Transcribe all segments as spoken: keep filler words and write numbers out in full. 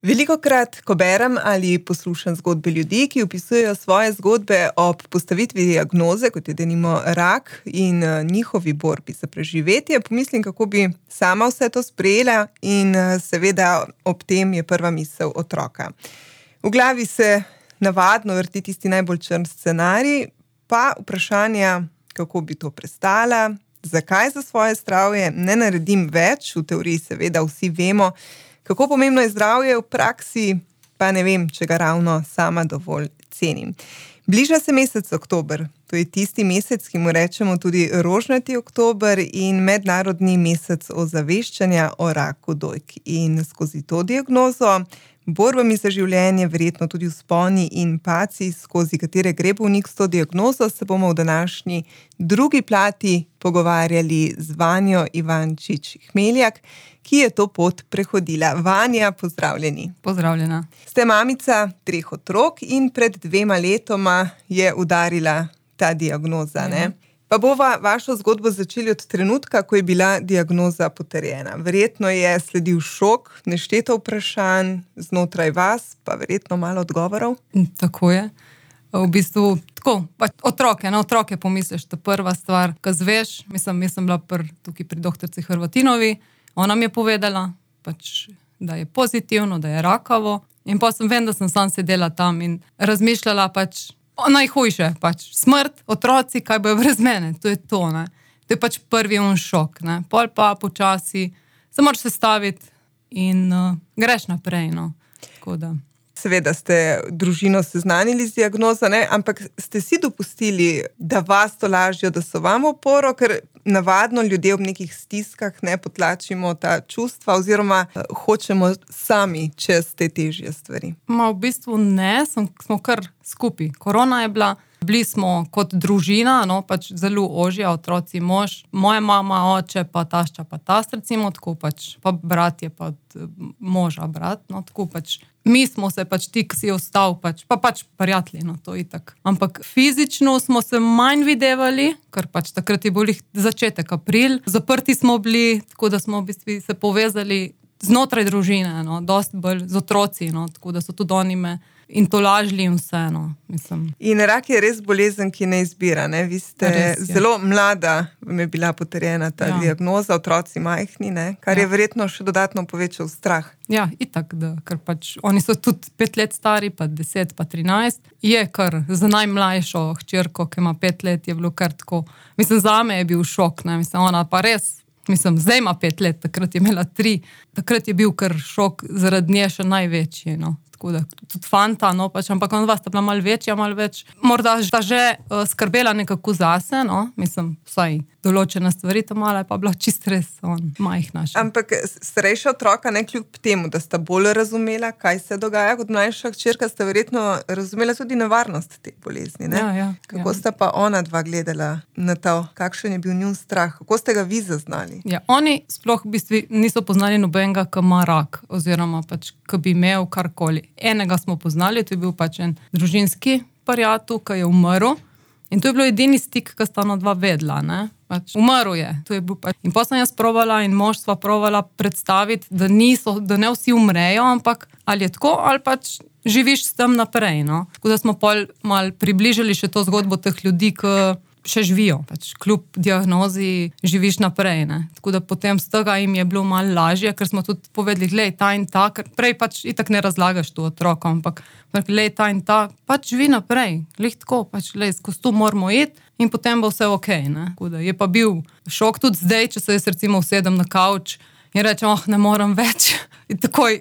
Velikokrat, ko berem ali poslušam zgodbe ljudi, ki opisujejo svoje zgodbe ob postavitvi diagnoze, kot je denimo rak in njihovi borbi za preživetje, pomislim, kako bi sama vse to sprejela in seveda ob tem je prva misel otroka. V glavi se navadno vrti tisti najbolj črn scenarij, pa vprašanja, kako bi to prestala, zakaj za svoje zdravje ne naredim več, v teoriji seveda vsi vemo, kako pomembno je zdravje, v praksi pa ne vem, če ga ravno sama dovolj cenim. Bliža se mesec oktober, to je tisti mesec, ki mu rečemo tudi rožnati oktober in mednarodni mesec ozaveščanja o raku dojk. In skozi to diagnozo, borbami za življenje, verjetno tudi vzponi in padci, skozi katere gre bolnik s to diagnozo, se bomo v današnji drugi plati pogovarjali z Vanjo Ivančič-Hmeljak, ki je to pot prehodila. Vanja, pozdravljeni. Pozdravljena. Ste mamica treh otrok in pred dvema letoma je udarila ta diagnoza, ja. Ne? Pa bova vašo zgodbo začeli od trenutka, ko je bila diagnoza potrjena. Verjetno je sledil šok, nešteto vprašanj znotraj vas, pa verjetno malo odgovorov. Tako je. V bistvu, tako, pač otroke, na otroke pomisliš, to prva stvar, ko zveš, mislim, jaz sem bila pr, tukaj pri doktorici Hrvatinovi, ona mi je povedala, pač, da je pozitivno, da je rakavo, in pa sem vem, da sem sam sedela tam in razmišljala pač, najhujše, pač, smrt, otroci, kaj bojo brez mene, to je to, ne. To je pač prvi on šok, ne. Pol pa počasi, se moraš sestaviti in uh, greš naprej, no. Tako da. Seveda ste družino seznanili z diagnozo, ne, ampak ste si dopustili, da vas to lažjo, da so vam oporo, ker navadno ljudje ob nekih stiskah ne potlačimo ta čustva oziroma hočemo sami čez te težje stvari. Ma v bistvu ne, sem, smo kar skupaj. Korona je bila, bili smo kot družina, no, pač zelo ožja, otroci, mož, moja mama, oče, pa tašča, pa tast, recimo, tako pač, pa brat je pa moža brat, no, tako pač. Mi smo se pač ti, ki si ostal, pač, pa pač prijatelji, no, to itak. Ampak fizično smo se manj videvali, ker pač takrat je bil začetek april, zaprti smo bili, tako da smo v bistvu se povezali znotraj družine, no, dosti bolj z otroci, no, tako da so tudi oni me in to lažli in vse, no, mislim. In rak je res bolezen, ki ne izbira, ne? Vi ste res, zelo mlada, vam je bila potrjena ta ja. diagnoza, otroci majhni, ne? Kar ja. je verjetno še dodatno povečal strah. Ja, itak, da, ker pač oni so tudi pet let stari, pa deset, pa trinajst. Je kar za najmlajšo hčerko, ki ima pet let, je bilo kar tako. Mislim, zame je bil šok, ne, mislim, ona pa res, mislim, zdaj ima pet let, takrat je imela tri, takrat je bil kar šok zaradi nje še največji, no. Tako da, tudi fanta, no, pač, ampak on vas sta bila malo večja, malo več, morda sta že uh, skrbela nekako zase, no, mislim, vsaj določene stvari, to malo je pa bila čist res on, majhna še. Ampak starejša otroka, ne kljub temu, da sta bolj razumela, kaj se dogaja, kot mlajša hčerka, sta verjetno razumela tudi nevarnost te bolezni, ne? Ja, ja. Kako ja. sta pa ona dva gledala na to, kakšen je bil njun strah, kako ste ga vi zaznali? Ja, oni sploh v bistvu niso poznali nobenega, ki ima rak, oziroma pač, ki bi imel karkoli. Enega smo poznali, to je bil pač en družinski prijatelj, ki je umrl. In to je bilo edini stik, ki sta ona dva vedela, ne. Pač, umrl je. To je bil pač. In potem sem jaz provala in mož sva provala predstaviti, da niso, da ne vsi umrejo, ampak ali je tako, ali pač živiš s tem naprej, no. Tako da smo pol malo približali še to zgodbo teh ljudi, ki še živijo, pač kljub diagnozi živiš naprej, ne. Tako da potem z tega jim je bilo malo lažje, ker smo tudi povedali, glej, ta in ta, ker prej pač itak ne razlagaš to otrokom, ampak glej, ta in ta, pač živi naprej, glej tako, pač glej, skozi to moramo iti in potem bo vse okej, ne. Tako da je pa bil šok tudi zdaj, če se jaz recimo usedem na kavč in rečem, oh, ne morem več, in takoj,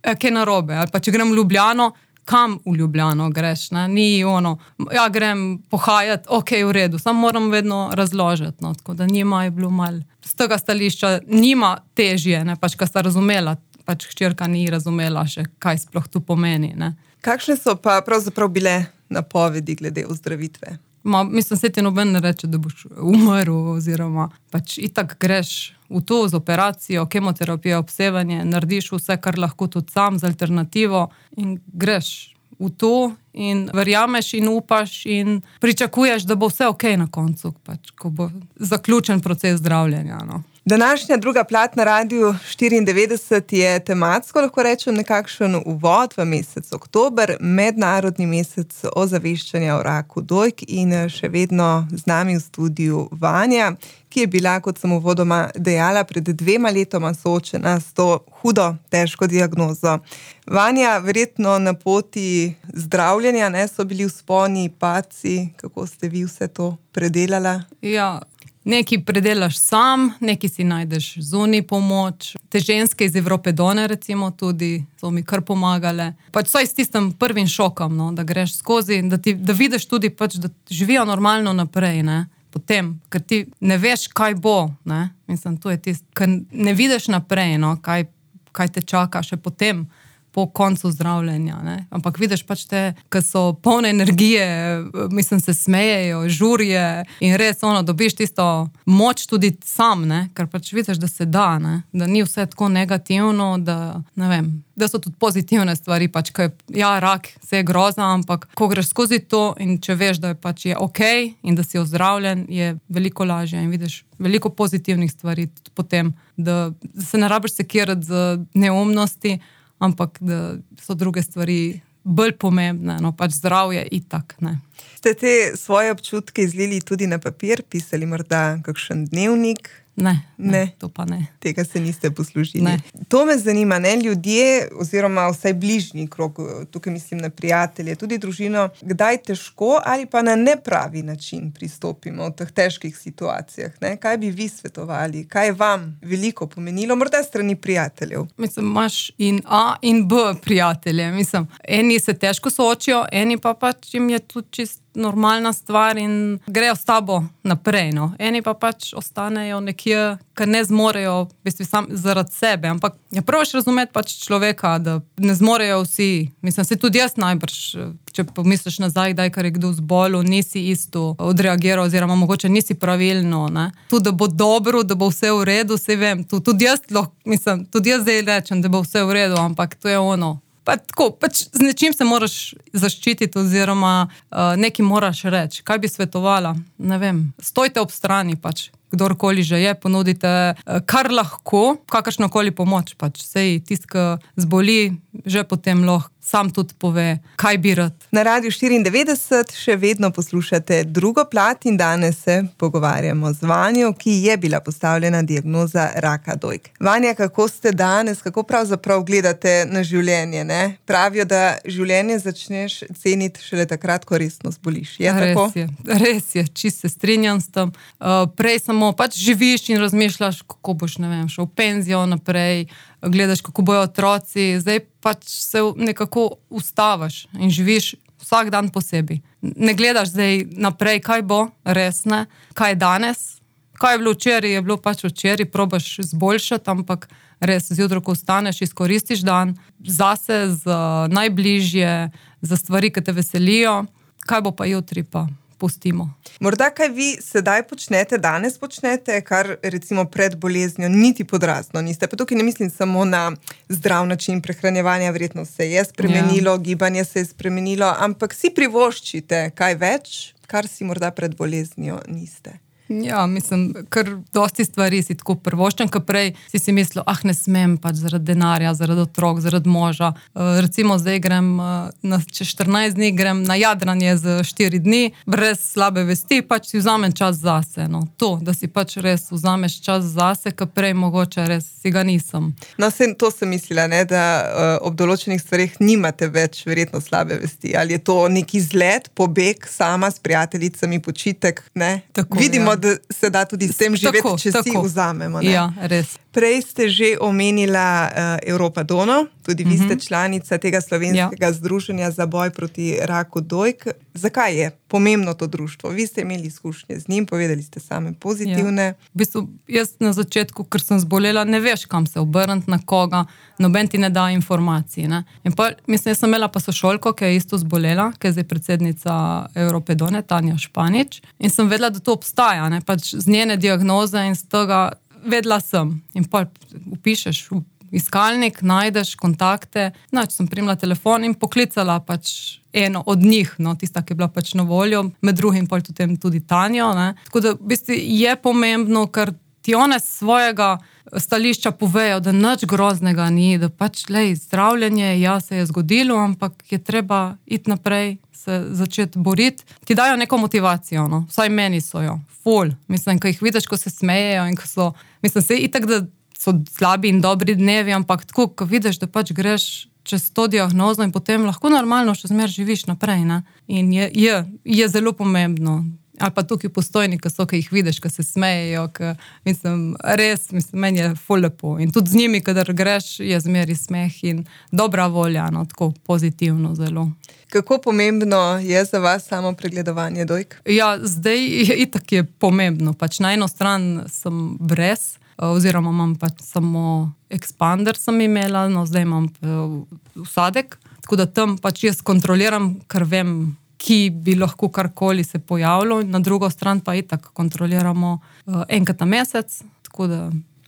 kaj narobe, ali pa če grem v Ljubljano, kam v Ljubljano greš, ne, ni ono, ja, grem pohajati, okej, v redu, samo moram vedno razložiti, no, tako da njima je bilo malo, z tega stališča, njima težje, ne, pač, ka sta razumela, pač hčerka ni razumela še, kaj sploh tu pomeni, ne. Kakšne so pa pravzaprav bile napovedi glede ozdravitve? Ma, mislim, se ti noben ne reče, da boš umrl, oziroma pač itak greš v to z operacijo, kemoterapijo, obsevanje, narediš vse, kar lahko tudi sam z alternativo in greš v to in verjameš in upaš in pričakuješ, da bo vse okej na koncu, pač, ko bo zaključen proces zdravljenja, no. Današnja druga plat na Radiu štiriindevetdeset je tematsko, lahko rečem, nekakšen uvod v mesec oktober, mednarodni mesec ozaveščanja o raku dojk in še vedno z nami v studiu Vanja, ki je bila, kot sem uvodoma dejala, pred dvema letoma soočena s to hudo, težko diagnozo. Vanja, verjetno na poti zdravljenja, ne, so bili vzponi, padci, kako ste vi vse to predelala? Ja, nekaj predelaš sam, nekaj si najdeš zunaj pomoč. Te ženske iz Evropedone recimo tudi so mi kar pomagale. Pač saj s tistim prvim šokom, no, da greš skozi, da, ti, da vidiš tudi, pač, da živijo normalno naprej, ne. Potem, ker ti ne veš, kaj bo, ne. Mislim, to je tisto, ker ne vidiš naprej, no, kaj, kaj te čaka še potem, po koncu zdravljenja, ne. Ampak vidiš pač te, ki so polne energije, mislim, se smejejo, žurje in res ono, dobiš tisto moč tudi sam, ne, ker pač vidiš, da se da, ne, da ni vse tako negativno, da, ne vem, da so tudi pozitivne stvari, pač, kaj, ja, rak, vse je groza, ampak ko greš skozi to in če veš, da je pač je okej in da si ozdravljen, je veliko lažje in vidiš veliko pozitivnih stvari tudi potem, da, da se ne rabiš sekirati z neumnosti, ampak da so druge stvari bolj pomembne, no pač zdravje itak, ne. Ste te svoje občutke izlili tudi na papir, pisali morda kakšen dnevnik? Ne, ne, ne, to pa ne. Tega se niste poslužili. Ne. To me zanima, ne, ljudje, oziroma vsaj bližnji krog, tukaj mislim na prijatelje, tudi družino, kdaj težko ali pa na nepravi način pristopimo v teh težkih situacijah, ne? Kaj bi vi svetovali? Kaj je vam veliko pomenilo, morda strani prijateljev? Mislim, imaš in A in B prijatelje, mislim, eni se težko soočijo, eni pa pač jim je tudi čist normalna stvar in grejo s tabo naprej, no. Eni pa pač ostanejo nekje, ker ne zmorejo, v bistvu sam zaradi sebe, ampak ja, probaš razumeti pač človeka, da ne zmorejo vsi. Mislim, se tudi jaz najbrž, če pomisliš nazaj, kdaj, kar je kdo zbolel, nisi isto odreagiral, oziroma mogoče nisi pravilno, ne. Tudi, da bo dobro, da bo vse v redu, saj vem, tudi jaz lahko, mislim, tudi jaz zdaj rečem, da bo vse v redu, ampak to je ono. Pa tako, pač z nečim se moraš zaščititi oziroma uh, nekaj moraš reči. Kaj bi svetovala? Ne vem. Stojte ob strani pač, kdorkoli že je, ponudite uh, kar lahko, kakršnokoli pomoč pač. Sej tist, ki zboli, že potem lahko sam tudi pove, kaj bi rad. Na Radiu štiriindevetdeset še vedno poslušate drugo plat in danes se pogovarjamo z Vanjo, ki je bila postavljena diagnoza raka dojk. Vanja, kako ste danes, kako pravzaprav gledate na življenje, ne? Pravijo, da življenje začneš ceniti šele takrat, ko resno zboliš. Je tako? Res je, res je, čist se strinjam s tem. Uh, prej samo pač živiš in razmišljaš, kako boš, ne vem, šel v penzijo naprej, gledaš, kako bojo otroci, zdaj pač se nekako ustaviš in živiš vsak dan posebej. Ne gledaš zdaj naprej, kaj bo, res ne, kaj je danes, kaj je bilo včeraj, je bilo pač včeraj, probaš zboljšati, ampak res zjutraj, ko vstaneš, izkoristiš dan zase, za najbližje, za stvari, ki te veselijo, kaj bo pa jutri pa pustimo. Morda kaj vi sedaj počnete, danes počnete, kar recimo pred boleznjo niti podrazno niste. Pa tukaj ne mislim samo na zdrav način prehranjevanja, verjetno se je spremenilo, ja. Gibanje se je spremenilo, ampak si privoščite kaj več, kar si morda pred boleznjo niste. Ja, mislim, ker dosti stvari si tako prvoščen, ker prej si si mislil, ah, ne smem pač zaradi denarja, zaradi otrok, zaradi moža. Uh, recimo zdaj grem, uh, na, čez štirinajst dni grem na jadranje za štiri dni, brez slabe vesti, pač si vzamem čas zase, no. To, da si pač res vzameš čas zase, ker prej mogoče res si ga nisem. No, sem, to sem mislila, ne, da uh, ob določenih stvarih nimate več verjetno slabe vesti. Ali je to neki izlet, pobeg sama s prijateljicami, počitek, ne? Tako, vidimo, ja. Da se da tudi s tem živeti, tako, če tako. Si vzamemo. Ne? Ja, res. Prej ste že omenila uh, Evropadono, tudi vi ste članica tega slovenskega ja. Združenja za boj proti raku dojk. Zakaj je pomembno to društvo? Vi ste imeli izkušnje z njim, povedali ste same pozitivne. Ja. V bistvu, jaz na začetku, ker sem zbolela, ne veš, kam se obrniti, na koga, noben ti ne da informacij. Ne? In pa, mislim, jaz sem imela pa sošolko, ki je isto zbolela, ki je zdaj predsednica Evropedone, Tanja Španič, in sem vedela, da to obstaja, ne? Pač z njene diagnoze in z tega vedela sem. In pa upišeš v iskalnik, najdeš kontakte, znači sem primila telefon in poklicala pač eno od njih, no, tista, ki je bila pač na voljo, med drugim pa tudi, tudi Tanjo, ne. Tako da v bistvu je pomembno, ker ti one svojega stališča povejo, da nič groznega ni, da pač, lej, zdravljenje, ja, se je zgodilo, ampak je treba iti naprej, se začeti boriti. Ti dajo neko motivacijo, no? Vsaj meni so jo. Ful. Mislim, ko jih vidiš, ko se smejejo in ko so, mislim, se itak, da so slabi in dobri dnevi, ampak tako, ko vidiš, da pač greš čez to diagnozo in potem lahko normalno še zmer živiš naprej, ne? In je, je, je zelo pomembno. Ali pa tukaj postojni, ki so, ki jih vidiš, ki se smejejo, ki, mislim, res, mislim, meni je ful lepo. In tudi z njimi, kadar greš, je zmeri smeh in dobra volja, no, tako pozitivno zelo. Kako pomembno je za vas samo pregledovanje dojk? Ja, zdaj itak je pomembno. Pač na eno stran sem brez, oziroma imam pač samo expander sem imela, no zdaj imam vsadek, tako da tam pač jaz kontroliram, ker vem, ki bi lahko karkoli se pojavilo, na drugo stran pa itak kontroliramo uh, enkrat na mesec, tako da...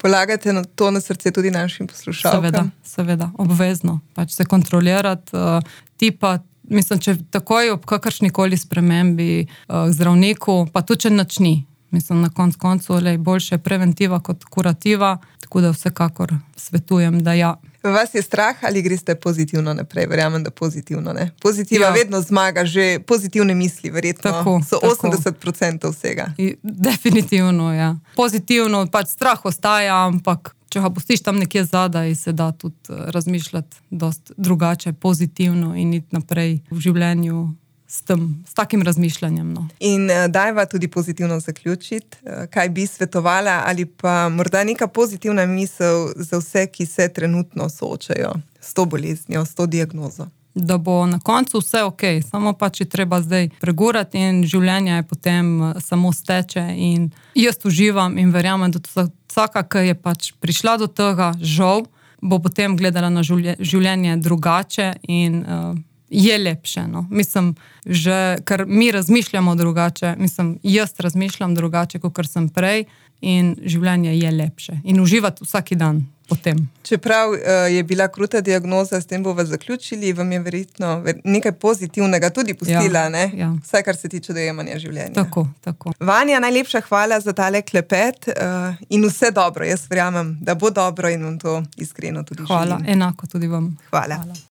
Polagate na to na srce tudi našim poslušalkam? Seveda, seveda, obvezno, pač se kontrolirati, uh, ti pa, mislim, če takoj ob kakršnikoli spremembi uh, zdravniku, pa tudi če nič ni, mislim, na konc koncu, lej, boljše preventiva kot kurativa, tako da vsekakor svetujem, da ja. Vas je strah ali greste pozitivno naprej? Verjamem, da pozitivno, ne? Pozitiva ja. Vedno zmaga, že pozitivne misli, verjetno tako, so tako. osemdeset procentov vsega. I, definitivno, ja. Pozitivno, pač strah ostaja, ampak če ga pustiš tam nekje zadaj, se da tudi razmišljati dost drugače, pozitivno in iti naprej v življenju s tem, s takim razmišljanjem. No. In uh, dajva tudi pozitivno zaključiti, uh, kaj bi svetovala ali pa morda neka pozitivna misel za vse, ki se trenutno soočajo s to boleznjo, s to diagnozo. Da bo na koncu vse ok, samo pač je treba zdaj pregurati in življenje je potem samo steče in jaz uživam in verjamem, da vsaka, ki je pač prišla do tega, žal, bo potem gledala na življenje drugače in uh, je lepše, no. Mislim, že, ker mi razmišljamo drugače, mislim, jaz razmišljam drugače, kot sem prej in življenje je lepše. In uživati vsaki dan potem. Čeprav uh, je bila kruta diagnoza, s tem bova zaključili, vam je verjetno nekaj pozitivnega tudi pustila, ja, ne? Ja. Vsaj, kar se tiče dojemanja življenja. Tako, tako. Vanja, najlepša hvala za tale klepet uh, in vse dobro. Jaz verjamem, da bo dobro in vam to iskreno tudi hvala, želim. Enako tudi vam. Hvala. Hvala.